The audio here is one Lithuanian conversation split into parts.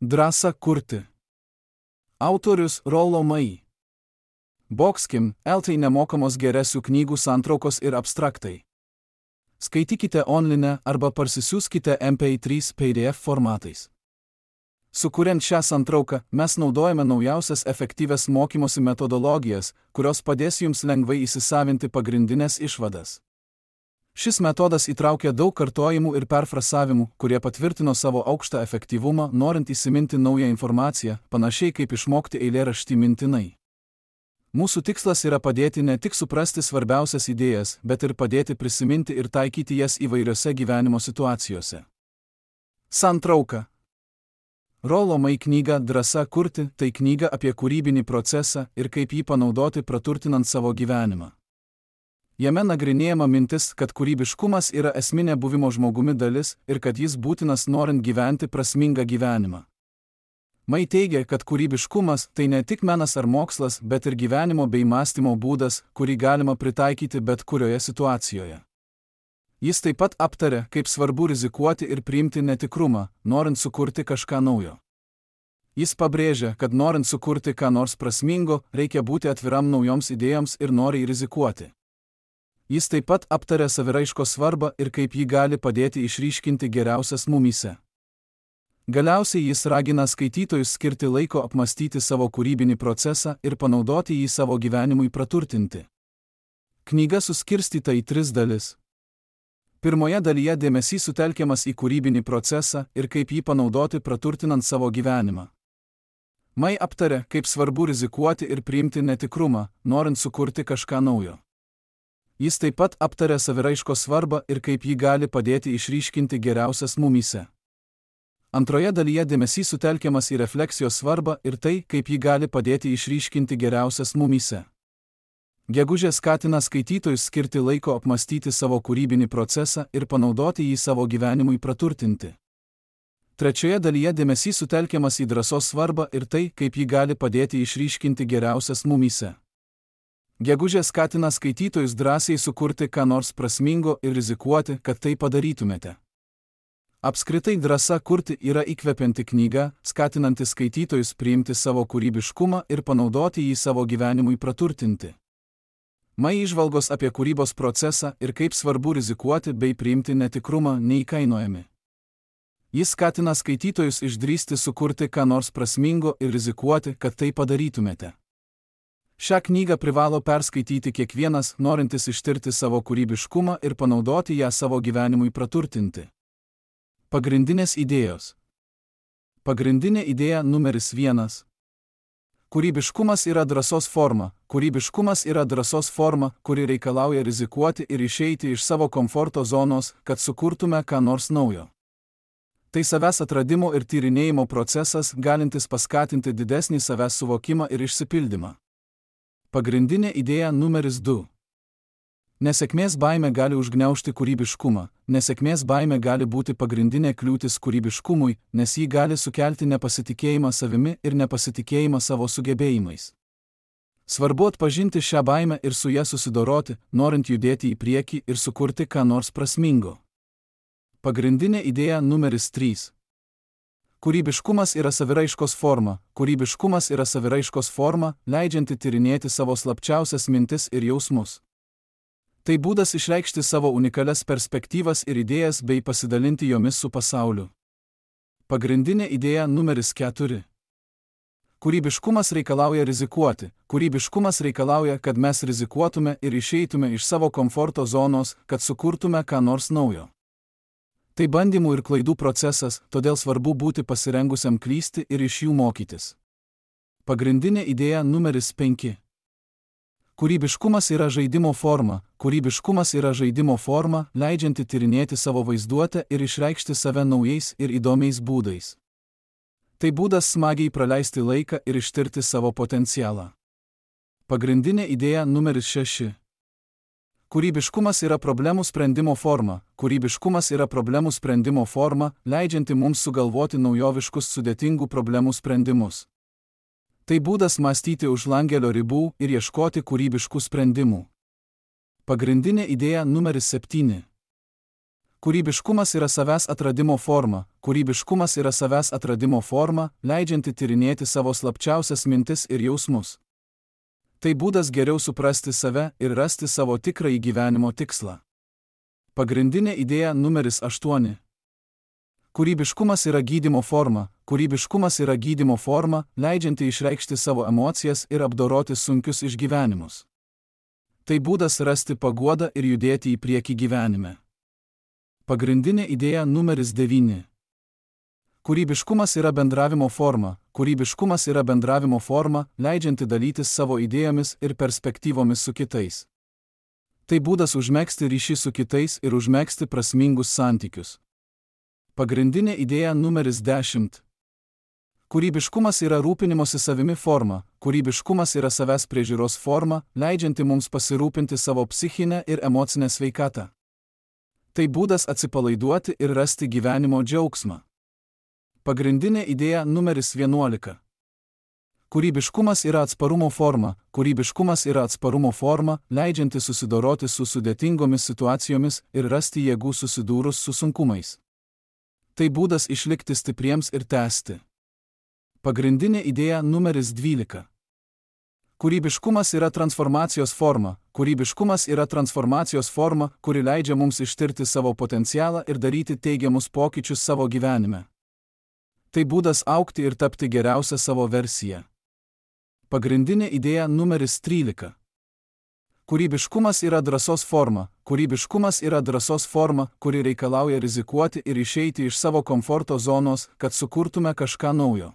Drąsa kurti. Autorius Rollo Mai. Boxkim, LT nemokamos geresių knygų santraukos ir abstraktai. Skaitykite online arba parsisiųskite MP3 PDF formatais. Sukuriant šią santrauką, mes naudojame naujausias efektyvias mokymosi metodologijas, kurios padės jums lengvai įsisavinti pagrindinės išvadas. Šis metodas įtraukia daug kartojimų ir perfrasavimų, kurie patvirtino savo aukštą efektyvumą, norint įsiminti naują informaciją, panašiai kaip išmokti eilėraštį mintinai. Mūsų tikslas yra padėti ne tik suprasti svarbiausias idėjas, bet ir padėti prisiminti ir taikyti jas įvairiose gyvenimo situacijose. Santrauka. Rollo Mai knyga Drąsa kurti – tai knyga apie kūrybinį procesą ir kaip jį panaudoti praturtinant savo gyvenimą. Jame nagrinėjama mintis, kad kūrybiškumas yra esminė buvimo žmogumi dalis ir kad jis būtinas norint gyventi prasmingą gyvenimą. Mai teigia, kad kūrybiškumas tai ne tik menas ar mokslas, bet ir gyvenimo bei mąstymo būdas, kurį galima pritaikyti bet kurioje situacijoje. Jis taip pat aptarė, kaip svarbu rizikuoti ir priimti netikrumą, norint sukurti kažką naujo. Jis pabrėžia, kad norint sukurti ką nors prasmingo, reikia būti atviram naujoms idėjoms ir noriai rizikuoti. Jis taip pat aptarė saviraiškos svarbą ir kaip ji gali padėti išryškinti geriausias mumyse. Galiausiai jis ragina skaitytojus skirti laiko apmastyti savo kūrybinį procesą ir panaudoti jį savo gyvenimui praturtinti. Knyga suskirstyta į 3 dalis. Pirmoje dalyje dėmesys sutelkiamas į kūrybinį procesą ir kaip jį panaudoti praturtinant savo gyvenimą. Mai aptarė, kaip svarbu rizikuoti ir priimti netikrumą, norint sukurti kažką naujo. Jis taip pat aptarė saviraiškos svarbą ir kaip ji gali padėti išryškinti geriausias mumyse. Antroje dalyje dėmesys sutelkiamas į refleksijos svarbą ir tai, kaip ji gali padėti išryškinti geriausias mumyse. Gegužė skatina skaitytojus skirti laiko apmastyti savo kūrybinį procesą ir panaudoti jį savo gyvenimui praturtinti. Trečioje dalyje dėmesys sutelkiamas į drąsos svarbą ir tai, kaip ji gali padėti išryškinti geriausias mumyse. Gegužė skatina skaitytojus drąsiai sukurti ką nors prasmingo ir rizikuoti, kad tai padarytumėte. Apskritai Drąsa kurti yra įkvepianti knyga, skatinanti skaitytojus priimti savo kūrybiškumą ir panaudoti jį savo gyvenimui praturtinti. Mai įžvalgos apie kūrybos procesą ir kaip svarbu rizikuoti bei priimti netikrumą neįkainojami. Jis skatina skaitytojus išdrįsti sukurti ką nors prasmingo ir rizikuoti, kad tai padarytumėte. Šią knygą privalo perskaityti kiekvienas, norintis ištirti savo kūrybiškumą ir panaudoti ją savo gyvenimui praturtinti. Pagrindinės idėjos. Pagrindinė idėja numeris 1. Kūrybiškumas yra drąsos forma. Kūrybiškumas yra drąsos forma, kuri reikalauja rizikuoti ir išeiti iš savo komforto zonos, kad sukurtume ką nors naujo. Tai savęs atradimo ir tyrinėjimo procesas, galintis paskatinti didesnį savęs suvokimą ir išsipildymą. Pagrindinė idėja numeris 2. Nesėkmės baimė gali užgniaužti kūrybiškumą. Nesėkmės baimė gali būti pagrindinė kliūtis kūrybiškumui, nes ji gali sukelti nepasitikėjimą savimi ir nepasitikėjimą savo sugebėjimais. Svarbu atpažinti šią baimę ir su ja susidoroti, norint judėti į priekį ir sukurti ką nors prasmingo. Pagrindinė idėja numeris 3. Kūrybiškumas yra saviraiškos forma. Kūrybiškumas yra saviraiškos forma, leidžianti tyrinėti savo slapčiausias mintis ir jausmus. Tai būdas išreikšti savo unikalias perspektyvas ir idėjas bei pasidalinti jomis su pasauliu. Pagrindinė idėja numeris 4. Kūrybiškumas reikalauja rizikuoti. Kūrybiškumas reikalauja, kad mes rizikuotume ir išeitume iš savo komforto zonos, kad sukurtume ką nors naujo. Tai bandymų ir klaidų procesas, todėl svarbu būti pasirengusiam klysti ir iš jų mokytis. Pagrindinė idėja numeris 5. Kūrybiškumas yra žaidimo forma. Kūrybiškumas yra žaidimo forma, leidžianti tyrinėti savo vaizduotę ir išreikšti save naujais ir įdomiais būdais. Tai būdas smagiai praleisti laiką ir ištirti savo potencialą. Pagrindinė idėja numeris 6. Kūrybiškumas yra problemų sprendimo forma. Kūrybiškumas yra problemų sprendimo forma, leidžianti mums sugalvoti naujoviškus sudėtingų problemų sprendimus. Tai būdas mąstyti už langelio ribų ir ieškoti kūrybiškų sprendimų. Pagrindinė idėja numeris 7. Kūrybiškumas yra savęs atradimo forma. Kūrybiškumas yra savęs atradimo forma, leidžianti tyrinėti savo slapčiausias mintis ir jausmus. Tai būdas geriau suprasti save ir rasti savo tikrąjį gyvenimo tikslą. Pagrindinė idėja numeris 8. Kūrybiškumas yra gydymo forma. Kūrybiškumas yra gydymo forma, leidžianti išreikšti savo emocijas ir apdoroti sunkius išgyvenimus. Tai būdas rasti paguodą ir judėti į priekį gyvenime. Pagrindinė idėja numeris 9. Kūrybiškumas yra bendravimo forma. Kūrybiškumas yra bendravimo forma, leidžianti dalytis savo idėjomis ir perspektyvomis su kitais. Tai būdas užmegzti ryšį su kitais ir užmegzti prasmingus santykius. Pagrindinė idėja numeris 10. Kūrybiškumas yra rūpinimosi savimi forma. Kūrybiškumas yra savęs priežiūros forma, leidžianti mums pasirūpinti savo psichinę ir emocinę sveikatą. Tai būdas atsipalaiduoti ir rasti gyvenimo džiaugsmą. Pagrindinė idėja numeris 11. Kūrybiškumas yra atsparumo forma. Kūrybiškumas yra atsparumo forma, leidžianti susidoroti su sudėtingomis situacijomis ir rasti jėgų susidūrus su sunkumais. Tai būdas išlikti stipriems ir tęsti. Pagrindinė idėja numeris 12. Kūrybiškumas yra transformacijos forma. Kūrybiškumas yra transformacijos forma, kuri leidžia mums ištirti savo potencialą ir daryti teigiamus pokyčius savo gyvenime. Tai būdas augti ir tapti geriausią savo versiją. Pagrindinė idėja numeris 13. Kūrybiškumas yra drąsos forma. Kūrybiškumas yra drąsos forma, kuri reikalauja rizikuoti ir išeiti iš savo komforto zonos, kad sukurtume kažką naujo.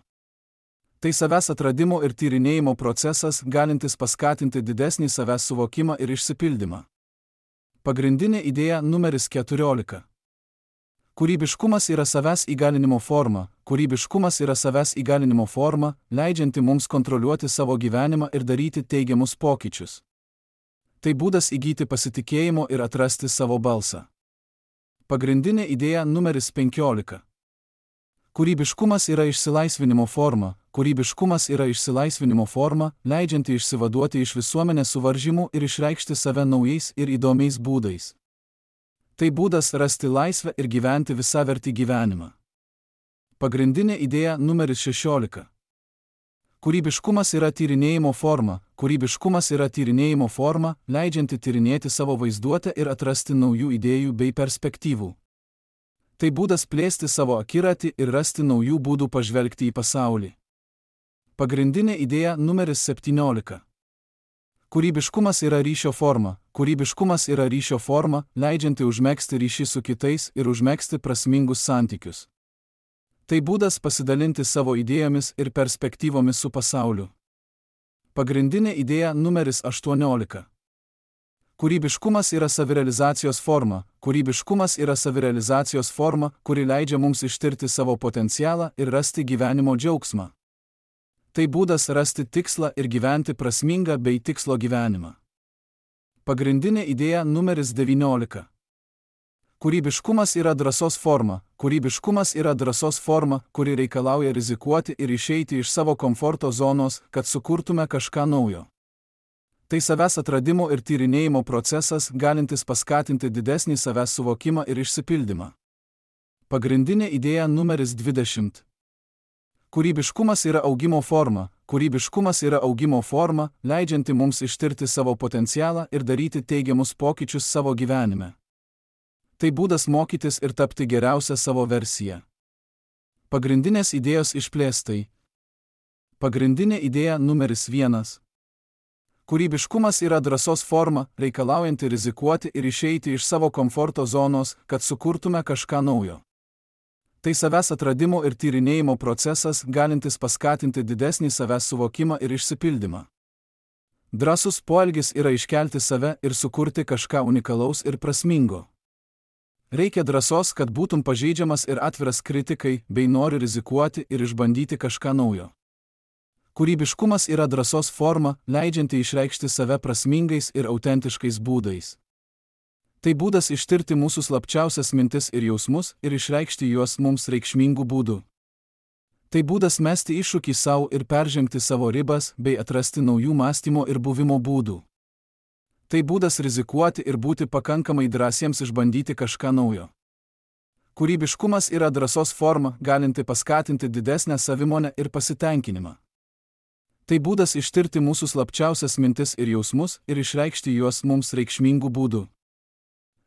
Tai savęs atradimo ir tyrinėjimo procesas, galintis paskatinti didesnį savęs suvokimą ir išsipildymą. Pagrindinė idėja numeris 14. Kūrybiškumas yra savęs įgalinimo forma. Kūrybiškumas yra savęs įgalinimo forma, leidžianti mums kontroliuoti savo gyvenimą ir daryti teigiamus pokyčius. Tai būdas įgyti pasitikėjimo ir atrasti savo balsą. Pagrindinė idėja numeris 15. Kūrybiškumas yra išsilaisvinimo forma. Kūrybiškumas yra išsilaisvinimo forma, leidžianti išsivaduoti iš visuomenės suvaržymų ir išreikšti save naujais ir įdomiais būdais. Tai būdas rasti laisvę ir gyventi visavertį gyvenimą. Pagrindinė idėja numeris 16. Kūrybiškumas yra tyrinėjimo forma. Kūrybiškumas yra tyrinėjimo forma, leidžianti tyrinėti savo vaizduotę ir atrasti naujų idėjų bei perspektyvų. Tai būdas plėsti savo akiratį ir rasti naujų būdų pažvelgti į pasaulį. Pagrindinė idėja numeris 17. Kūrybiškumas yra ryšio forma. Kūrybiškumas yra ryšio forma, leidžianti užmegzti ryšį su kitais ir užmegzti prasmingus santykius. Tai būdas pasidalinti savo idėjomis ir perspektyvomis su pasauliu. Pagrindinė idėja numeris 18. Kūrybiškumas yra savirealizacijos forma. Kūrybiškumas yra savirealizacijos forma, kuri leidžia mums ištirti savo potencialą ir rasti gyvenimo džiaugsmą. Tai būdas rasti tikslą ir gyventi prasmingą bei tikslo gyvenimą. Pagrindinė idėja numeris 19. Kūrybiškumas yra drąsos forma. Kūrybiškumas yra drąsos forma, kuri reikalauja rizikuoti ir išeiti iš savo komforto zonos, kad sukurtume kažką naujo. Tai savęs atradimo ir tyrinėjimo procesas, galintis paskatinti didesnį savęs suvokimą ir išsipildymą. Pagrindinė idėja numeris 20. Kūrybiškumas yra augimo forma. Kūrybiškumas yra augimo forma, leidžianti mums ištirti savo potencialą ir daryti teigiamus pokyčius savo gyvenime. Tai būdas mokytis ir tapti geriausią savo versiją. Pagrindinės idėjos išplėstai. Pagrindinė idėja numeris 1. Kūrybiškumas yra drąsos forma, reikalaujanti rizikuoti ir išeiti iš savo komforto zonos, kad sukurtume kažką naujo. Tai savęs atradimo ir tyrinėjimo procesas, galintis paskatinti didesnį savęs suvokimą ir išsipildymą. Drąsus poelgis yra iškelti save ir sukurti kažką unikalaus ir prasmingo. Reikia drąsos, kad būtum pažeidžiamas ir atviras kritikai, bei nori rizikuoti ir išbandyti kažką naujo. Kūrybiškumas yra drąsos forma, leidžianti išreikšti save prasmingais ir autentiškais būdais. Tai būdas ištirti mūsų slapčiausias mintis ir jausmus ir išreikšti juos mums reikšmingų būdų. Tai būdas mesti iššūkį savo ir peržengti savo ribas bei atrasti naujų mąstymo ir buvimo būdų. Tai būdas rizikuoti ir būti pakankamai drąsiems išbandyti kažką naujo. Kūrybiškumas yra drąsos forma, galinti paskatinti didesnę savimonę ir pasitenkinimą. Tai būdas ištirti mūsų slapčiausias mintis ir jausmus ir išreikšti juos mums reikšmingų būdų.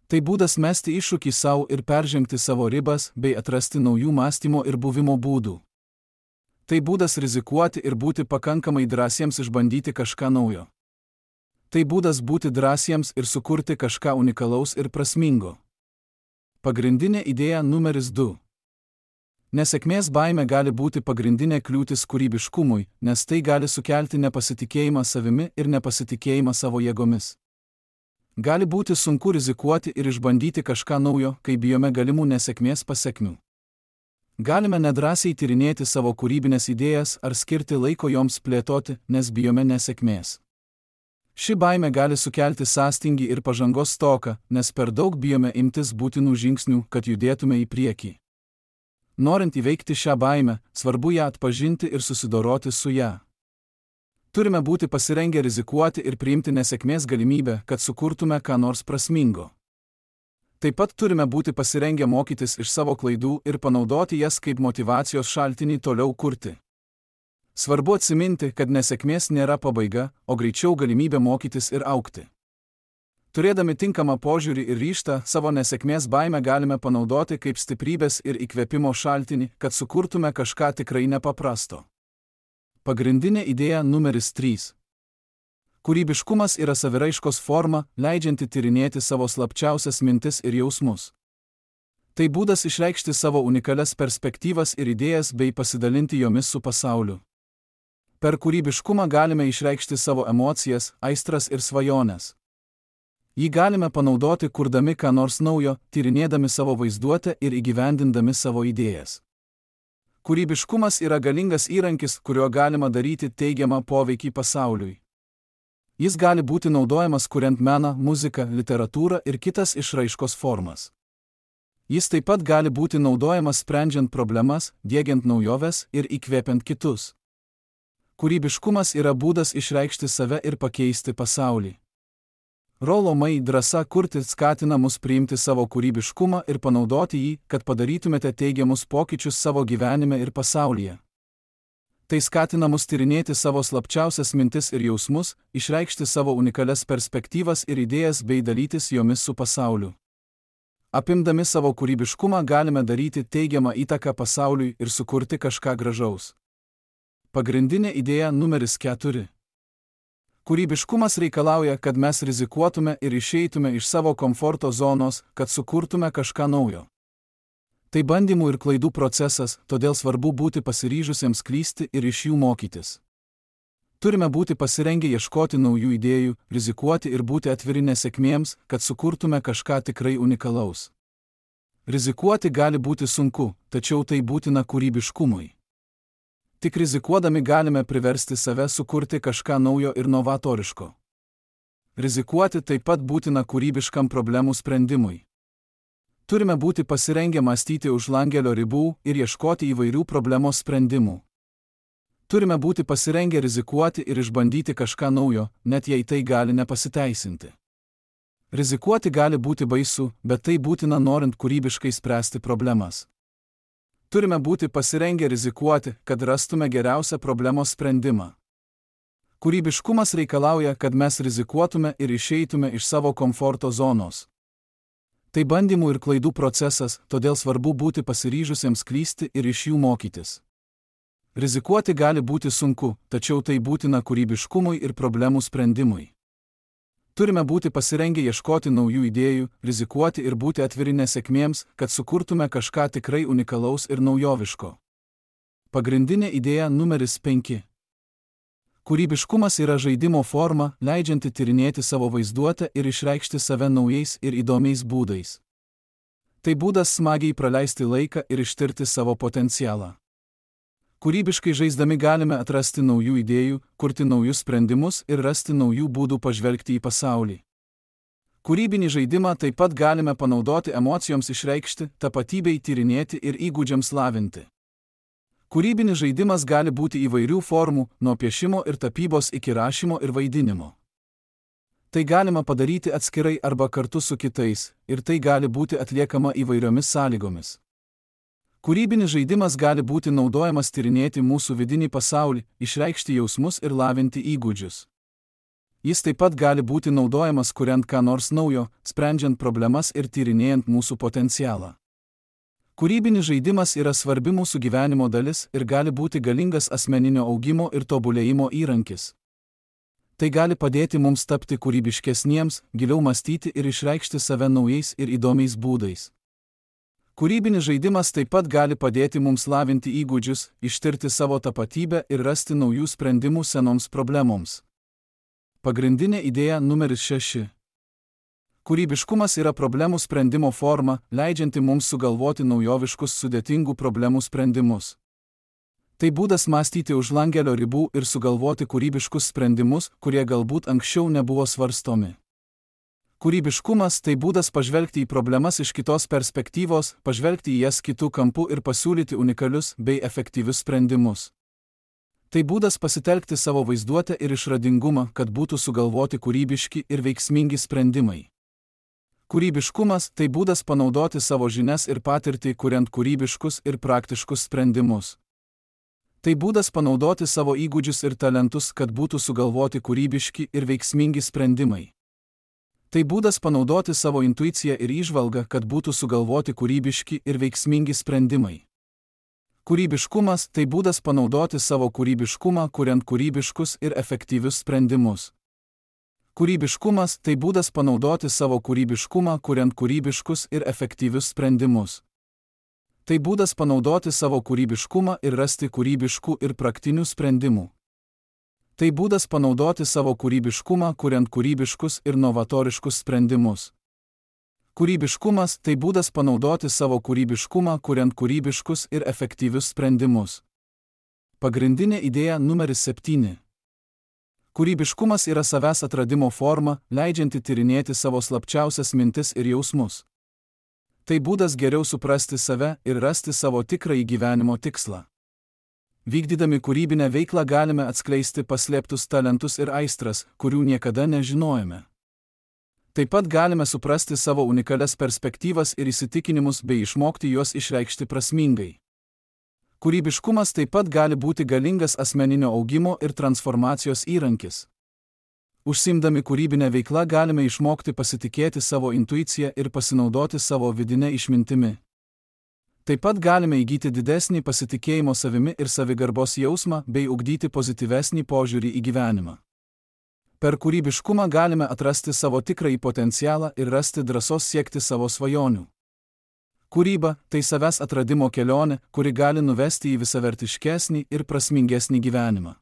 Tai būdas mesti iššūkį savo ir peržengti savo ribas bei atrasti naujų mąstymo ir buvimo būdų. Tai būdas rizikuoti ir būti pakankamai drąsiems išbandyti kažką naujo. Tai būdas būti drąsiems ir sukurti kažką unikalaus ir prasmingo. Pagrindinė idėja numeris 2. Nesėkmės baimė gali būti pagrindinė kliūtis kūrybiškumui, nes tai gali sukelti nepasitikėjimą savimi ir nepasitikėjimą savo jėgomis. Gali būti sunku rizikuoti ir išbandyti kažką naujo, kai bijome galimų nesėkmės pasekmių. Galime nedrąsiai tyrinėti savo kūrybinės idėjas ar skirti laiko joms plėtoti, nes bijome nesėkmės. Ši baimė gali sukelti sąstingį ir pažangos stoką, nes per daug bijome imtis būtinų žingsnių, kad judėtume į priekį. Norint įveikti šią baimę, svarbu ją atpažinti ir susidoroti su ją. Turime būti pasirengę rizikuoti ir priimti nesėkmės galimybę, kad sukurtume ką nors prasmingo. Taip pat turime būti pasirengę mokytis iš savo klaidų ir panaudoti jas kaip motyvacijos šaltinį toliau kurti. Svarbu atsiminti, kad nesėkmės nėra pabaiga, o greičiau galimybė mokytis ir augti. Turėdami tinkamą požiūrį ir ryžtą, savo nesėkmės baimę galime panaudoti kaip stiprybės ir įkvėpimo šaltinį, kad sukurtume kažką tikrai nepaprasto. Pagrindinė idėja numeris 3. Kūrybiškumas yra saviraiškos forma, leidžianti tyrinėti savo slapčiausias mintis ir jausmus. Tai būdas išreikšti savo unikalias perspektyvas ir idėjas bei pasidalinti jomis su pasauliu. Per kūrybiškumą galime išreikšti savo emocijas, aistras ir svajones. Jį galime panaudoti kurdami ką nors naujo, tyrinėdami savo vaizduotę ir įgyvendindami savo idėjas. Kūrybiškumas yra galingas įrankis, kuriuo galima daryti teigiamą poveikį pasauliui. Jis gali būti naudojamas kuriant meną, muziką, literatūrą ir kitas išraiškos formas. Jis taip pat gali būti naudojamas sprendžiant problemas, diegiant naujoves ir įkvėpiant kitus. Kūrybiškumas yra būdas išreikšti save ir pakeisti pasaulį. Rollo May drąsa kurti skatina mus priimti savo kūrybiškumą ir panaudoti jį, kad padarytumėte teigiamus pokyčius savo gyvenime ir pasaulyje. Tai skatina mus tyrinėti savo slapčiausias mintis ir jausmus, išreikšti savo unikalias perspektyvas ir idėjas bei dalytis jomis su pasauliu. Apimdami savo kūrybiškumą galime daryti teigiamą įtaką pasauliui ir sukurti kažką gražaus. Pagrindinė idėja numeris 4. Kūrybiškumas reikalauja, kad mes rizikuotume ir išeitume iš savo komforto zonos, kad sukurtume kažką naujo. Tai bandymų ir klaidų procesas, todėl svarbu būti pasiryžusiems klysti ir iš jų mokytis. Turime būti pasirengę ieškoti naujų idėjų, rizikuoti ir būti atviri nesėkmėms, kad sukurtume kažką tikrai unikalaus. Rizikuoti gali būti sunku, tačiau tai būtina kūrybiškumui. Tik rizikuodami galime priversti save sukurti kažką naujo ir novatoriško. Rizikuoti taip pat būtina kūrybiškam problemų sprendimui. Turime būti pasirengę mąstyti už langelio ribų ir ieškoti įvairių problemos sprendimų. Turime būti pasirengę rizikuoti ir išbandyti kažką naujo, net jei tai gali nepasiteisinti. Rizikuoti gali būti baisu, bet tai būtina norint kūrybiškai spręsti problemas. Turime būti pasirengę rizikuoti, kad rastume geriausią problemos sprendimą. Kūrybiškumas reikalauja, kad mes rizikuotume ir išeitume iš savo komforto zonos. Tai bandymų ir klaidų procesas, todėl svarbu būti pasiryžusiems klysti ir iš jų mokytis. Rizikuoti gali būti sunku, tačiau tai būtina kūrybiškumui ir problemų sprendimui. Turime būti pasirengę ieškoti naujų idėjų, rizikuoti ir būti atviri nesėkmėms, kad sukurtume kažką tikrai unikalaus ir naujoviško. Pagrindinė idėja numeris 5. Kūrybiškumas yra žaidimo forma, leidžianti tyrinėti savo vaizduotę ir išreikšti save naujais ir įdomiais būdais. Tai būdas smagiai praleisti laiką ir ištirti savo potencialą. Kūrybiškai žaisdami galime atrasti naujų idėjų, kurti naujus sprendimus ir rasti naujų būdų pažvelgti į pasaulį. Kūrybinį žaidimą taip pat galime panaudoti emocijoms išreikšti, tapatybei tyrinėti ir įgūdžiams lavinti. Kūrybinis žaidimas gali būti įvairių formų, nuo piešimo ir tapybos iki rašymo ir vaidinimo. Tai galima padaryti atskirai arba kartu su kitais, ir tai gali būti atliekama įvairiomis sąlygomis. Kūrybinis žaidimas gali būti naudojamas tyrinėti mūsų vidinį pasaulį, išreikšti jausmus ir lavinti įgūdžius. Jis taip pat gali būti naudojamas kuriant ką nors naujo, sprendžiant problemas ir tyrinėjant mūsų potencialą. Kūrybinis žaidimas yra svarbi mūsų gyvenimo dalis ir gali būti galingas asmeninio augimo ir tobulėjimo įrankis. Tai gali padėti mums tapti kūrybiškesniems, giliau mąstyti ir išreikšti save naujais ir įdomiais būdais. Kūrybinis žaidimas taip pat gali padėti mums lavinti įgūdžius, ištirti savo tapatybę ir rasti naujų sprendimų senoms problemoms. Pagrindinė idėja numeris 6. Kūrybiškumas yra problemų sprendimo forma, leidžianti mums sugalvoti naujoviškus sudėtingų problemų sprendimus. Tai būdas mąstyti už langelio ribų ir sugalvoti kūrybiškus sprendimus, kurie galbūt anksčiau nebuvo svarstomi. Kūrybiškumas tai būdas pažvelgti į problemas iš kitos perspektyvos, pažvelgti į jas kitų kampų ir pasiūlyti unikalius bei efektyvius sprendimus. Tai būdas pasitelkti savo vaizduotę ir išradingumą, kad būtų sugalvoti kūrybiški ir veiksmingi sprendimai. Kūrybiškumas tai būdas panaudoti savo žinias ir patirtį, kuriant kūrybiškus ir praktiškus sprendimus. Tai būdas panaudoti savo įgūdžius ir talentus, kad būtų sugalvoti kūrybiški ir veiksmingi sprendimai. Tai būdas panaudoti savo intuiciją ir įžvalgą, kad būtų sugalvoti kūrybiški ir veiksmingi sprendimai. Kūrybiškumas tai būdas panaudoti savo kūrybiškumą, kuriant kūrybiškus ir efektyvius sprendimus. Kūrybiškumas tai būdas panaudoti savo kūrybiškumą, kuriant kūrybiškus ir efektyvius sprendimus. Tai būdas panaudoti savo kūrybiškumą ir rasti kūrybiškų ir praktinių sprendimų. Tai būdas panaudoti savo kūrybiškumą, kuriant kūrybiškus ir novatoriškus sprendimus. Kūrybiškumas tai būdas panaudoti savo kūrybiškumą, kuriant kūrybiškus ir efektyvius sprendimus. Pagrindinė idėja numeris 7. Kūrybiškumas yra savęs atradimo forma, leidžianti tyrinėti savo slapčiausias mintis ir jausmus. Tai būdas geriau suprasti save ir rasti savo tikrąjį gyvenimo tikslą. Vykdydami kūrybinę veiklą galime atskleisti paslėptus talentus ir aistras, kurių niekada nežinojome. Taip pat galime suprasti savo unikalias perspektyvas ir įsitikinimus bei išmokti juos išreikšti prasmingai. Kūrybiškumas taip pat gali būti galingas asmeninio augimo ir transformacijos įrankis. Užsiimdami kūrybinę veiklą galime išmokti pasitikėti savo intuiciją ir pasinaudoti savo vidinę išmintimi. Taip pat galime įgyti didesnį pasitikėjimo savimi ir savigarbos jausmą bei ugdyti pozityvesnį požiūrį į gyvenimą. Per kūrybiškumą galime atrasti savo tikrąjį potencialą ir rasti drąsos siekti savo svajonių. Kūryba tai savęs atradimo kelionė, kuri gali nuvesti į visavertiškesnį ir prasmingesnį gyvenimą.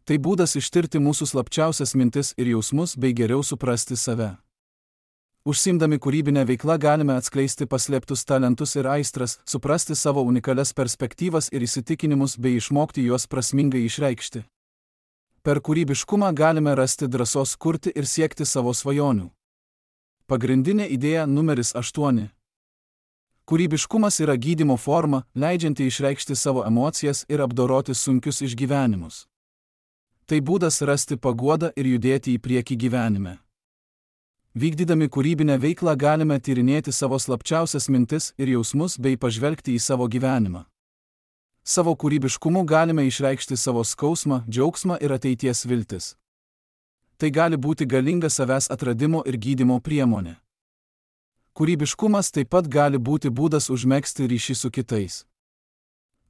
Tai būdas ištirti mūsų slapčiausias mintis ir jausmus bei geriau suprasti save. Užsiimdami kūrybinę veiklą galime atskleisti paslėptus talentus ir aistras, suprasti savo unikalias perspektyvas ir įsitikinimus bei išmokti juos prasmingai išreikšti. Per kūrybiškumą galime rasti drąsos kurti ir siekti savo svajonių. Pagrindinė idėja numeris 8. Kūrybiškumas yra gydymo forma, leidžianti išreikšti savo emocijas ir apdoroti sunkius išgyvenimus. Tai būdas rasti paguodą ir judėti į priekį gyvenime. Vykdydami kūrybinę veiklą galime tyrinėti savo slapčiausias mintis ir jausmus bei pažvelgti į savo gyvenimą. Savo kūrybiškumu galime išreikšti savo skausmą, džiaugsmą ir ateities viltis. Tai gali būti galinga savęs atradimo ir gydymo priemonė. Kūrybiškumas taip pat gali būti būdas užmegzti ryšį su kitais.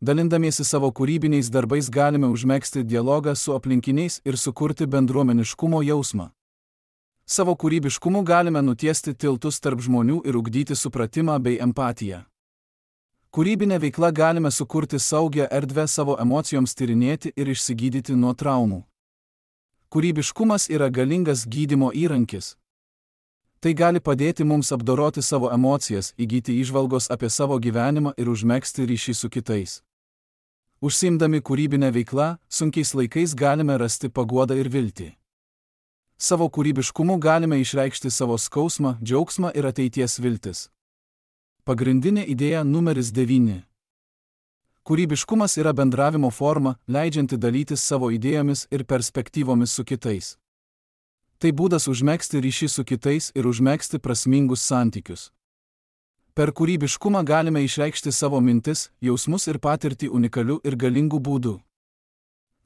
Dalindamiesi savo kūrybiniais darbais galime užmegzti dialogą su aplinkiniais ir sukurti bendruomeniškumo jausmą. Savo kūrybiškumu galime nutiesti tiltus tarp žmonių ir ugdyti supratimą bei empatiją. Kūrybinė veikla galime sukurti saugią erdvę savo emocijoms tyrinėti ir išsigydyti nuo traumų. Kūrybiškumas yra galingas gydymo įrankis. Tai gali padėti mums apdoroti savo emocijas, įgyti įžvalgos apie savo gyvenimą ir užmegzti ryšį su kitais. Užsiimdami kūrybinę veiklą, sunkiais laikais galime rasti paguodą ir viltį. Savo kūrybiškumu galime išreikšti savo skausmą, džiaugsmą ir ateities viltis. Pagrindinė idėja numeris 9. Kūrybiškumas yra bendravimo forma, leidžianti dalytis savo idėjomis ir perspektyvomis su kitais. Tai būdas užmegzti ryšį su kitais ir užmegzti prasmingus santykius. Per kūrybiškumą galime išreikšti savo mintis, jausmus ir patirtį unikaliu ir galingu būdu.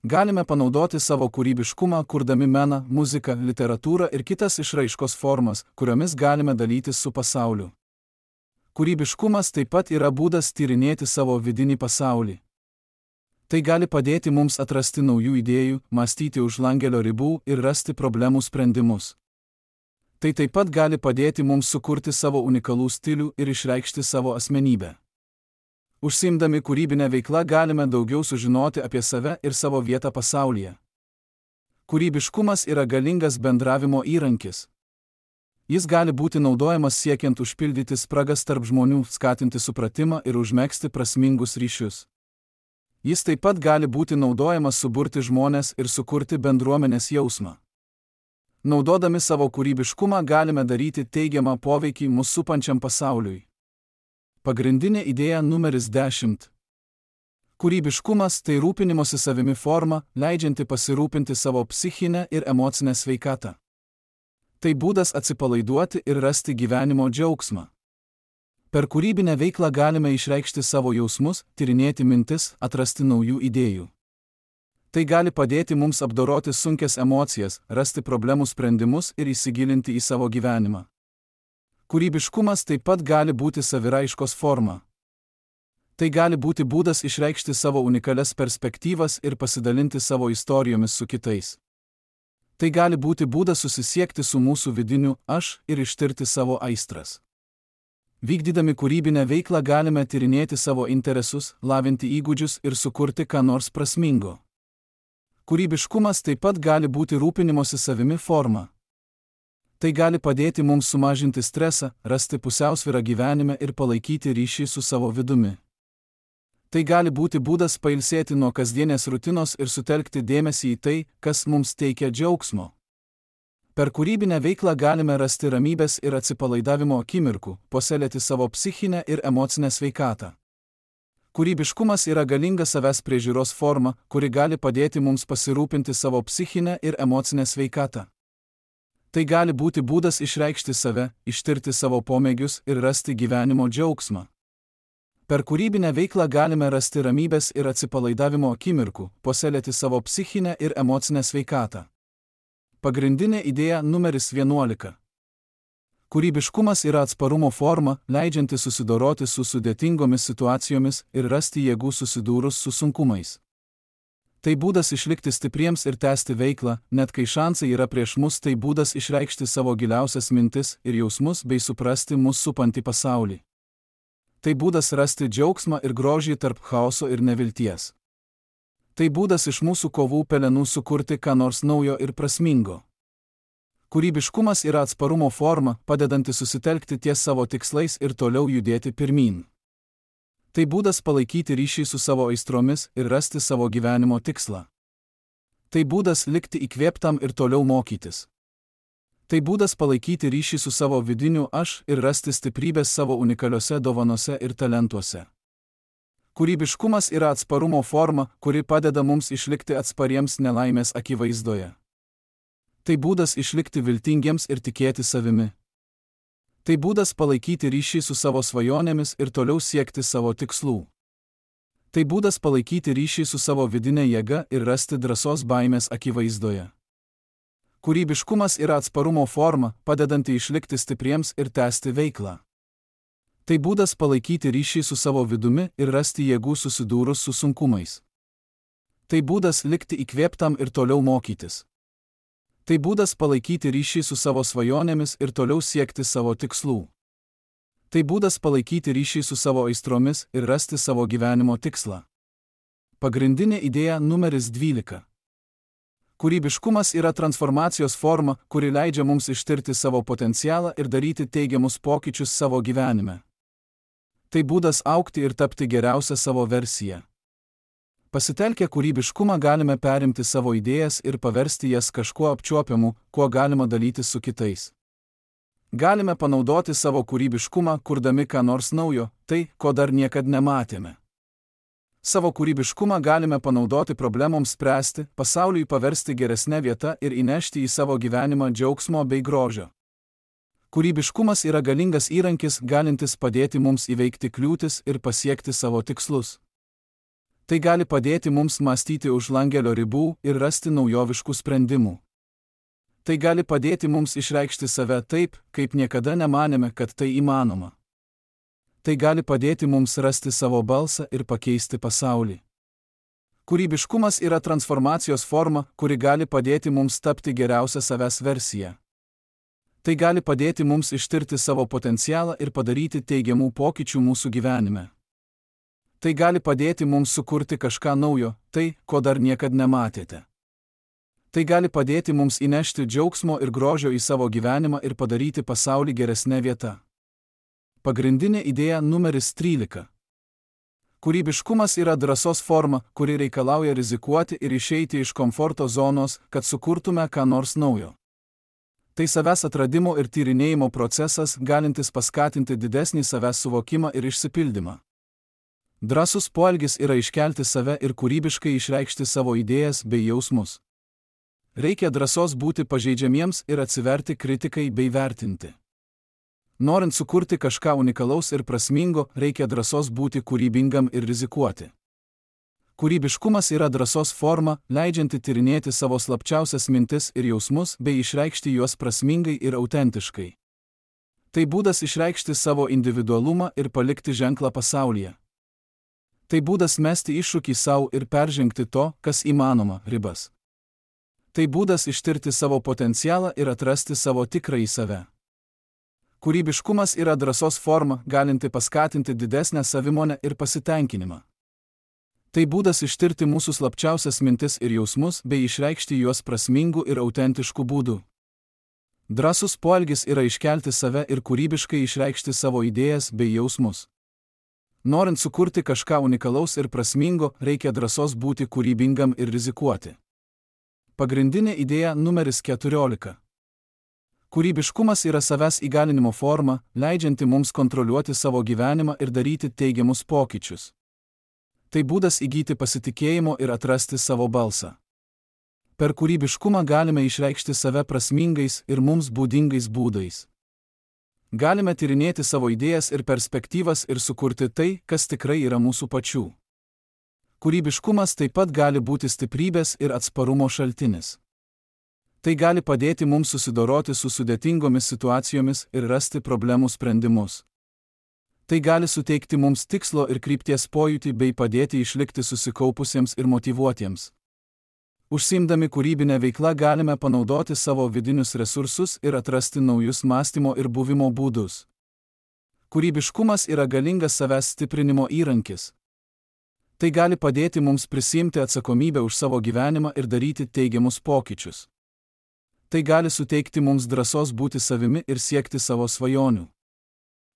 Galime panaudoti savo kūrybiškumą, kurdami meną, muziką, literatūrą ir kitas išraiškos formas, kuriomis galime dalytis su pasauliu. Kūrybiškumas taip pat yra būdas tyrinėti savo vidinį pasaulį. Tai gali padėti mums atrasti naujų idėjų, mąstyti už langelio ribų ir rasti problemų sprendimus. Tai taip pat gali padėti mums sukurti savo unikalų stilių ir išreikšti savo asmenybę. Užsiimdami kūrybinę veiklą galime daugiau sužinoti apie save ir savo vietą pasaulyje. Kūrybiškumas yra galingas bendravimo įrankis. Jis gali būti naudojamas siekiant užpildyti spragas tarp žmonių, skatinti supratimą ir užmegzti prasmingus ryšius. Jis taip pat gali būti naudojamas suburti žmones ir sukurti bendruomenės jausmą. Naudodami savo kūrybiškumą galime daryti teigiamą poveikį mus supančiam pasauliui. Pagrindinė idėja numeris 10. Kūrybiškumas tai rūpinimosi savimi forma, leidžianti pasirūpinti savo psichinę ir emocinę sveikatą. Tai būdas atsipalaiduoti ir rasti gyvenimo džiaugsmą. Per kūrybinę veiklą galime išreikšti savo jausmus, tyrinėti mintis, atrasti naujų idėjų. Tai gali padėti mums apdoroti sunkias emocijas, rasti problemų sprendimus ir įsigilinti į savo gyvenimą. Kūrybiškumas taip pat gali būti saviraiškos forma. Tai gali būti būdas išreikšti savo unikalias perspektyvas ir pasidalinti savo istorijomis su kitais. Tai gali būti būdas susisiekti su mūsų vidiniu aš ir ištirti savo aistras. Vykdydami kūrybinę veiklą galime tyrinėti savo interesus, lavinti įgūdžius ir sukurti ką nors prasmingo. Kūrybiškumas taip pat gali būti rūpinimosi savimi forma. Tai gali padėti mums sumažinti stresą, rasti pusiausvyrą gyvenime ir palaikyti ryšį su savo vidumi. Tai gali būti būdas pailsėti nuo kasdienės rutinos ir sutelkti dėmesį į tai, kas mums teikia džiaugsmo. Per kūrybinę veiklą galime rasti ramybės ir atsipalaidavimo akimirkų, puoselėti savo psichinę ir emocinę sveikatą. Kūrybiškumas yra galinga savęs priežiūros forma, kuri gali padėti mums pasirūpinti savo psichinę ir emocinę sveikatą. Tai gali būti būdas išreikšti save, ištirti savo pomėgius ir rasti gyvenimo džiaugsmą. Per kūrybinę veiklą galime rasti ramybės ir atsipalaidavimo akimirkų, puoselėti savo psichinę ir emocinę sveikatą. Pagrindinė idėja numeris 11. Kūrybiškumas yra atsparumo forma, leidžianti susidoroti su sudėtingomis situacijomis ir rasti jėgų susidūrus su sunkumais. Tai būdas išlikti stipriems ir tęsti veiklą, net kai šansai yra prieš mus, tai būdas išreikšti savo giliausias mintis ir jausmus bei suprasti mus supantį pasaulį. Tai būdas rasti džiaugsmą ir grožį tarp chaoso ir nevilties. Tai būdas iš mūsų kovų pelenų sukurti ką nors naujo ir prasmingo. Kūrybiškumas yra atsparumo forma, padedanti susitelkti ties savo tikslais ir toliau judėti pirmyn. Tai būdas palaikyti ryšį su savo aistromis ir rasti savo gyvenimo tikslą. Tai būdas likti įkvėptam ir toliau mokytis. Tai būdas palaikyti ryšį su savo vidiniu aš ir rasti stiprybės savo unikaliuose dovanose ir talentuose. Kūrybiškumas yra atsparumo forma, kuri padeda mums išlikti atspariems nelaimės akivaizdoje. Tai būdas išlikti viltingiems ir tikėti savimi. Tai būdas palaikyti ryšį su savo svajonėmis ir toliau siekti savo tikslų. Tai būdas palaikyti ryšį su savo vidinė jėga ir rasti drąsos baimės akivaizdoje. Kūrybiškumas yra atsparumo forma, padedanti išlikti stipriems ir tęsti veiklą. Tai būdas palaikyti ryšį su savo vidumi ir rasti jėgų susidūrus su sunkumais. Tai būdas likti įkvėptam ir toliau mokytis. Tai būdas palaikyti ryšį su savo svajonėmis ir toliau siekti savo tikslų. Tai būdas palaikyti ryšį su savo aistromis ir rasti savo gyvenimo tikslą. Pagrindinė idėja numeris 12. Kūrybiškumas yra transformacijos forma, kuri leidžia mums ištirti savo potencialą ir daryti teigiamus pokyčius savo gyvenime. Tai būdas augti ir tapti geriausią savo versiją. Pasitelkę kūrybiškumą galime perimti savo idėjas ir paversti jas kažkuo apčiuopiamu, kuo galima dalytis su kitais. Galime panaudoti savo kūrybiškumą, kurdami ką nors naujo, tai, ko dar niekad nematėme. Savo kūrybiškumą galime panaudoti problemoms spręsti, pasauliui paversti geresnę vietą ir įnešti į savo gyvenimą džiaugsmo bei grožio. Kūrybiškumas yra galingas įrankis, galintis padėti mums įveikti kliūtis ir pasiekti savo tikslus. Tai gali padėti mums mąstyti už langelio ribų ir rasti naujoviškų sprendimų. Tai gali padėti mums išreikšti save taip, kaip niekada nemanėme, kad tai įmanoma. Tai gali padėti mums rasti savo balsą ir pakeisti pasaulį. Kūrybiškumas yra transformacijos forma, kuri gali padėti mums tapti geriausią savęs versiją. Tai gali padėti mums ištirti savo potencialą ir padaryti teigiamų pokyčių mūsų gyvenime. Tai gali padėti mums sukurti kažką naujo, tai, ko dar niekad nematėte. Tai gali padėti mums įnešti džiaugsmo ir grožio į savo gyvenimą ir padaryti pasaulį geresnę vietą. Pagrindinė idėja numeris 13. Kūrybiškumas yra drąsos forma, kuri reikalauja rizikuoti ir išeiti iš komforto zonos, kad sukurtume ką nors naujo. Tai savęs atradimo ir tyrinėjimo procesas, galintis paskatinti didesnį savęs suvokimą ir išsipildymą. Drąsus poelgis yra iškelti save ir kūrybiškai išreikšti savo idėjas bei jausmus. Reikia drąsos būti pažeidžiamiems ir atsiverti kritikai bei vertinti. Norint sukurti kažką unikalaus ir prasmingo, reikia drąsos būti kūrybingam ir rizikuoti. Kūrybiškumas yra drąsos forma, leidžianti tyrinėti savo slapčiausias mintis ir jausmus bei išreikšti juos prasmingai ir autentiškai. Tai būdas išreikšti savo individualumą ir palikti ženklą pasaulyje. Tai būdas mesti iššūkį savo ir peržengti to, kas įmanoma, ribas. Tai būdas ištirti savo potencialą ir atrasti savo tikrąjį save. Kūrybiškumas yra drąsos forma, galinti paskatinti didesnę savimonę ir pasitenkinimą. Tai būdas ištirti mūsų slapčiausias mintis ir jausmus bei išreikšti juos prasmingų ir autentiškų būdų. Drąsus poelgis yra iškelti save ir kūrybiškai išreikšti savo idėjas bei jausmus. Norint sukurti kažką unikalaus ir prasmingo, reikia drąsos būti kūrybingam ir rizikuoti. Pagrindinė idėja numeris 14. Kūrybiškumas yra savęs įgalinimo forma, leidžianti mums kontroliuoti savo gyvenimą ir daryti teigiamus pokyčius. Tai būdas įgyti pasitikėjimo ir atrasti savo balsą. Per kūrybiškumą galime išreikšti save prasmingais ir mums būdingais būdais. Galime tyrinėti savo idėjas ir perspektyvas ir sukurti tai, kas tikrai yra mūsų pačių. Kūrybiškumas taip pat gali būti stiprybės ir atsparumo šaltinis. Tai gali padėti mums susidoroti su sudėtingomis situacijomis ir rasti problemų sprendimus. Tai gali suteikti mums tikslo ir krypties pojūtį bei padėti išlikti susikaupusiems ir motyvuotiems. Užsiimdami kūrybinę veiklą galime panaudoti savo vidinius resursus ir atrasti naujus mąstymo ir buvimo būdus. Kūrybiškumas yra galingas savęs stiprinimo įrankis. Tai gali padėti mums prisiimti atsakomybę už savo gyvenimą ir daryti teigiamus pokyčius. Tai gali suteikti mums drąsos būti savimi ir siekti savo svajonių.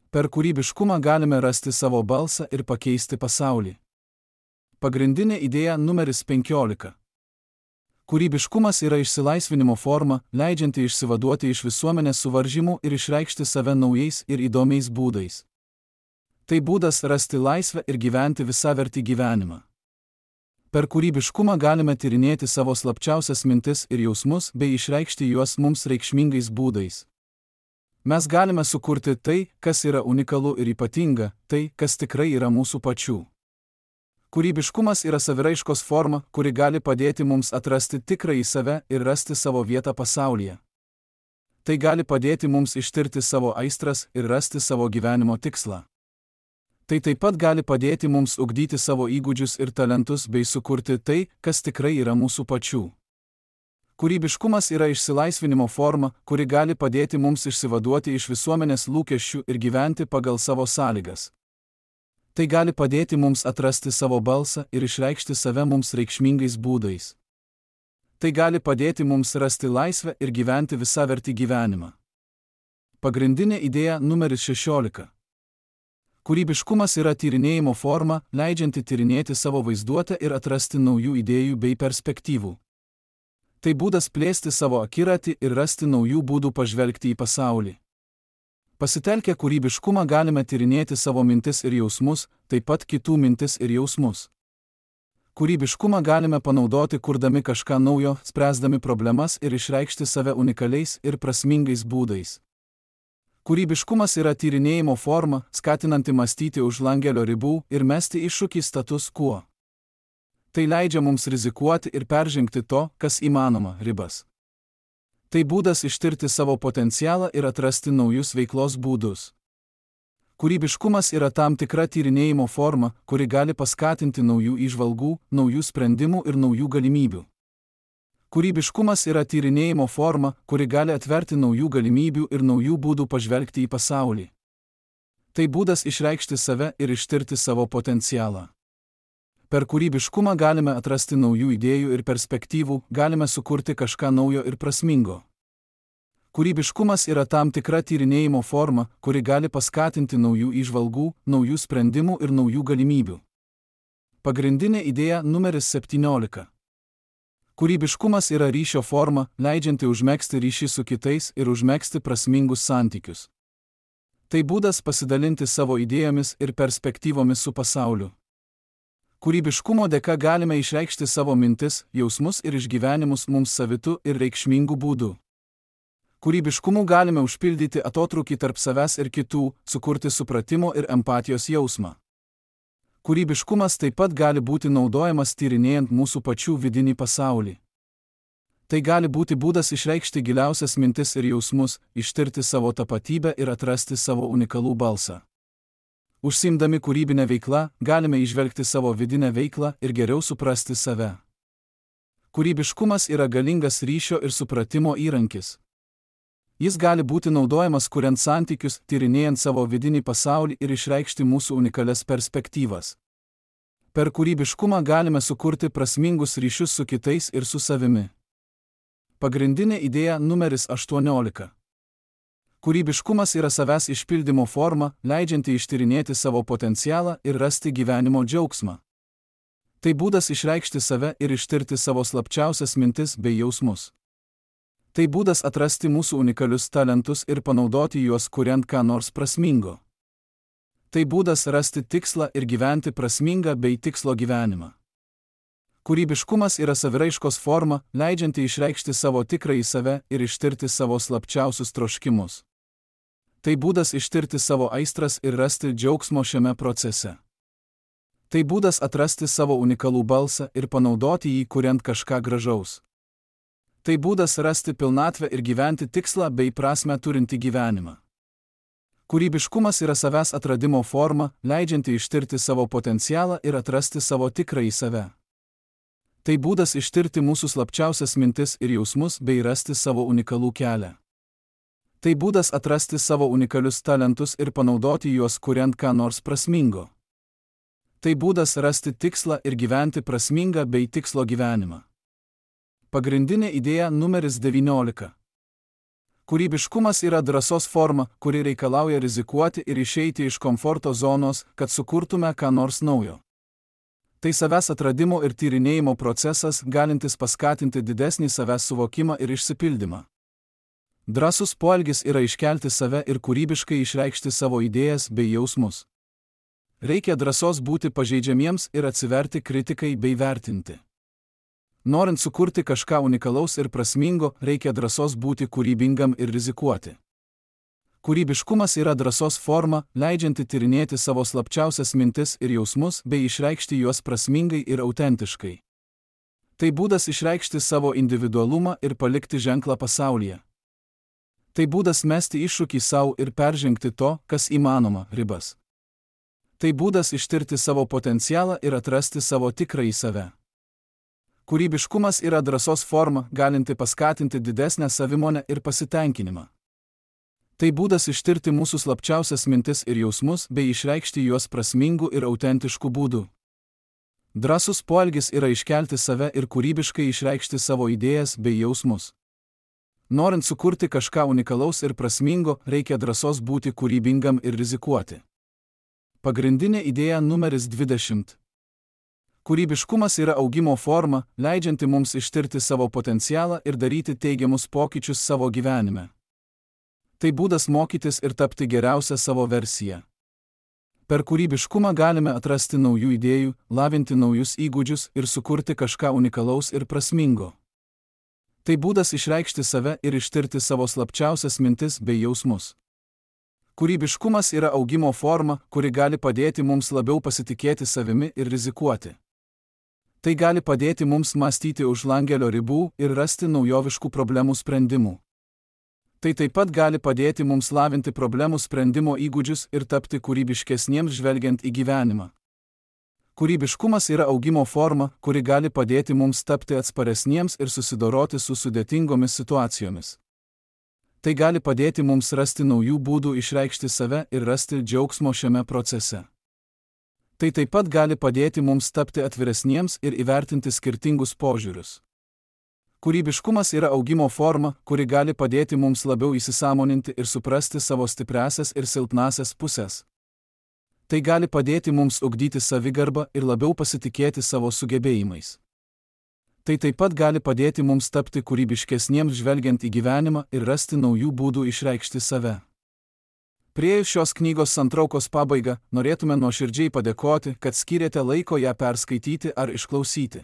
Per kūrybiškumą galime rasti savo balsą ir pakeisti pasaulį. Pagrindinė idėja numeris 15. Kūrybiškumas yra išsilaisvinimo forma, leidžianti išsivaduoti iš visuomenės suvaržymų ir išreikšti save naujais ir įdomiais būdais. Tai būdas rasti laisvę ir gyventi visavertį gyvenimą. Per kūrybiškumą galime tyrinėti savo slapčiausias mintis ir jausmus bei išreikšti juos mums reikšmingais būdais. Mes galime sukurti tai, kas yra unikalu ir ypatinga, tai, kas tikrai yra mūsų pačių. Kūrybiškumas yra saviraiškos forma, kuri gali padėti mums atrasti tikrąjį save ir rasti savo vietą pasaulyje. Tai gali padėti mums ištirti savo aistras ir rasti savo gyvenimo tikslą. Tai taip pat gali padėti mums ugdyti savo įgūdžius ir talentus bei sukurti tai, kas tikrai yra mūsų pačių. Kūrybiškumas yra išsilaisvinimo forma, kuri gali padėti mums išsivaduoti iš visuomenės lūkesčių ir gyventi pagal savo sąlygas. Tai gali padėti mums atrasti savo balsą ir išreikšti save mums reikšmingais būdais. Tai gali padėti mums rasti laisvę ir gyventi visavertį gyvenimą. Pagrindinė idėja numeris 16. Kūrybiškumas yra tyrinėjimo forma, leidžianti tyrinėti savo vaizduotę ir atrasti naujų idėjų bei perspektyvų. Tai būdas plėsti savo akiratį ir rasti naujų būdų pažvelgti į pasaulį. Pasitelkę kūrybiškumą galime tyrinėti savo mintis ir jausmus, taip pat kitų mintis ir jausmus. Kūrybiškumą galime panaudoti kurdami kažką naujo, spręsdami problemas ir išreikšti save unikaliais ir prasmingais būdais. Kūrybiškumas yra tyrinėjimo forma, skatinanti mąstyti už langelio ribų ir mesti iššūkį status quo. Tai leidžia mums rizikuoti ir peržengti to, kas įmanoma, ribas. Tai būdas ištirti savo potencialą ir atrasti naujus veiklos būdus. Kūrybiškumas yra tam tikra tyrinėjimo forma, kuri gali paskatinti naujų įžvalgų, naujų sprendimų ir naujų galimybių. Kūrybiškumas yra tyrinėjimo forma, kuri gali atverti naujų galimybių ir naujų būdų pažvelgti į pasaulį. Tai būdas išreikšti save ir ištirti savo potencialą. Per kūrybiškumą galime atrasti naujų idėjų ir perspektyvų, galime sukurti kažką naujo ir prasmingo. Kūrybiškumas yra tam tikra tyrinėjimo forma, kuri gali paskatinti naujų įžvalgų, naujų sprendimų ir naujų galimybių. Pagrindinė idėja numeris 17. Kūrybiškumas yra ryšio forma, leidžianti užmegzti ryšį su kitais ir užmegzti prasmingus santykius. Tai būdas pasidalinti savo idėjomis ir perspektyvomis su pasauliu. Kūrybiškumo dėka galime išreikšti savo mintis, jausmus ir išgyvenimus mums savitų ir reikšmingų būdų. Kūrybiškumu galime užpildyti atotrūkį tarp savęs ir kitų, sukurti supratimo ir empatijos jausmą. Kūrybiškumas taip pat gali būti naudojamas tyrinėjant mūsų pačių vidinį pasaulį. Tai gali būti būdas išreikšti giliausias mintis ir jausmus, ištirti savo tapatybę ir atrasti savo unikalų balsą. Užsiimdami kūrybinę veiklą, galime įžvelgti savo vidinę veiklą ir geriau suprasti save. Kūrybiškumas yra galingas ryšio ir supratimo įrankis. Jis gali būti naudojamas kuriant santykius, tyrinėjant savo vidinį pasaulį ir išreikšti mūsų unikalias perspektyvas. Per kūrybiškumą galime sukurti prasmingus ryšius su kitais ir su savimi. Pagrindinė idėja numeris 18. Kūrybiškumas yra savęs išpildymo forma, leidžianti ištyrinėti savo potencialą ir rasti gyvenimo džiaugsmą. Tai būdas išreikšti save ir ištirti savo slapčiausias mintis bei jausmus. Tai būdas atrasti mūsų unikalius talentus ir panaudoti juos kuriant ką nors prasmingo. Tai būdas rasti tikslą ir gyventi prasmingą bei tikslo gyvenimą. Kūrybiškumas yra saviraiškos forma, leidžianti išreikšti savo tikrąjį save ir ištirti savo slapčiausius troškimus. Tai būdas ištirti savo aistras ir rasti džiaugsmo šiame procese. Tai būdas atrasti savo unikalų balsą ir panaudoti jį kuriant kažką gražaus. Tai būdas rasti pilnatvę ir gyventi tikslą bei prasmę turinti gyvenimą. Kūrybiškumas yra savęs atradimo forma, leidžianti ištirti savo potencialą ir atrasti savo tikrąjį save. Tai būdas ištirti mūsų slapčiausias mintis ir jausmus bei rasti savo unikalų kelią. Tai būdas atrasti savo unikalius talentus ir panaudoti juos kuriant ką nors prasmingo. Tai būdas rasti tikslą ir gyventi prasmingą bei tikslo gyvenimą. Pagrindinė idėja numeris 19. Kūrybiškumas yra drąsos forma, kuri reikalauja rizikuoti ir išeiti iš komforto zonos, kad sukurtume ką nors naujo. Tai savęs atradimo ir tyrinėjimo procesas, galintis paskatinti didesnį savęs suvokimą ir išsipildymą. Drąsus poelgis yra iškelti save ir kūrybiškai išreikšti savo idėjas bei jausmus. Reikia drąsos būti pažeidžiamiems ir atsiverti kritikai bei vertinti. Norint sukurti kažką unikalaus ir prasmingo, reikia drąsos būti kūrybingam ir rizikuoti. Kūrybiškumas yra drąsos forma, leidžianti tyrinėti savo slapčiausias mintis ir jausmus bei išreikšti juos prasmingai ir autentiškai. Tai būdas išreikšti savo individualumą ir palikti ženklą pasaulyje. Tai būdas mesti iššūkį savo ir peržengti to, kas įmanoma, ribas. Tai būdas ištirti savo potencialą ir atrasti savo tikrąjį save. Kūrybiškumas yra drąsos forma, galinti paskatinti didesnę savimonę ir pasitenkinimą. Tai būdas ištirti mūsų slapčiausias mintis ir jausmus bei išreikšti juos prasmingų ir autentiškų būdų. Drąsus poelgis yra iškelti save ir kūrybiškai išreikšti savo idėjas bei jausmus. Norint sukurti kažką unikalaus ir prasmingo, reikia drąsos būti kūrybingam ir rizikuoti. Pagrindinė idėja numeris 20. Kūrybiškumas yra augimo forma, leidžianti mums ištirti savo potencialą ir daryti teigiamus pokyčius savo gyvenime. Tai būdas mokytis ir tapti geriausią savo versiją. Per kūrybiškumą galime atrasti naujų idėjų, lavinti naujus įgūdžius ir sukurti kažką unikalaus ir prasmingo. Tai būdas išreikšti save ir ištirti savo slapčiausias mintis bei jausmus. Kūrybiškumas yra augimo forma, kuri gali padėti mums labiau pasitikėti savimi ir rizikuoti. Tai gali padėti mums mąstyti už langelio ribų ir rasti naujoviškų problemų sprendimų. Tai taip pat gali padėti mums lavinti problemų sprendimo įgūdžius ir tapti kūrybiškesniems žvelgiant į gyvenimą. Kūrybiškumas yra augimo forma, kuri gali padėti mums tapti atsparesniems ir susidoroti su sudėtingomis situacijomis. Tai gali padėti mums rasti naujų būdų išreikšti save ir rasti džiaugsmo šiame procese. Tai taip pat gali padėti mums tapti atviresniems ir įvertinti skirtingus požiūrius. Kūrybiškumas yra augimo forma, kuri gali padėti mums labiau įsisąmoninti ir suprasti savo stipriąsias ir silpnąsias pusės. Tai gali padėti mums ugdyti savigarbą ir labiau pasitikėti savo sugebėjimais. Tai taip pat gali padėti mums tapti kūrybiškesniems žvelgiant į gyvenimą ir rasti naujų būdų išreikšti save. Priėjus šios knygos santraukos pabaigą, norėtume nuoširdžiai padėkoti, kad skyrėte laiko ją perskaityti ar išklausyti.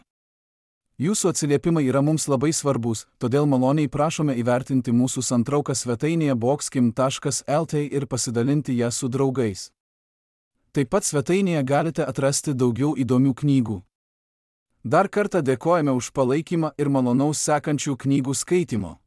Jūsų atsiliepimai yra mums labai svarbus, todėl maloniai prašome įvertinti mūsų santrauką svetainėje boxkim.lt ir pasidalinti ją su draugais. Taip pat svetainėje galite atrasti daugiau įdomių knygų. Dar kartą dėkojame už palaikymą ir malonaus sekančių knygų skaitimo.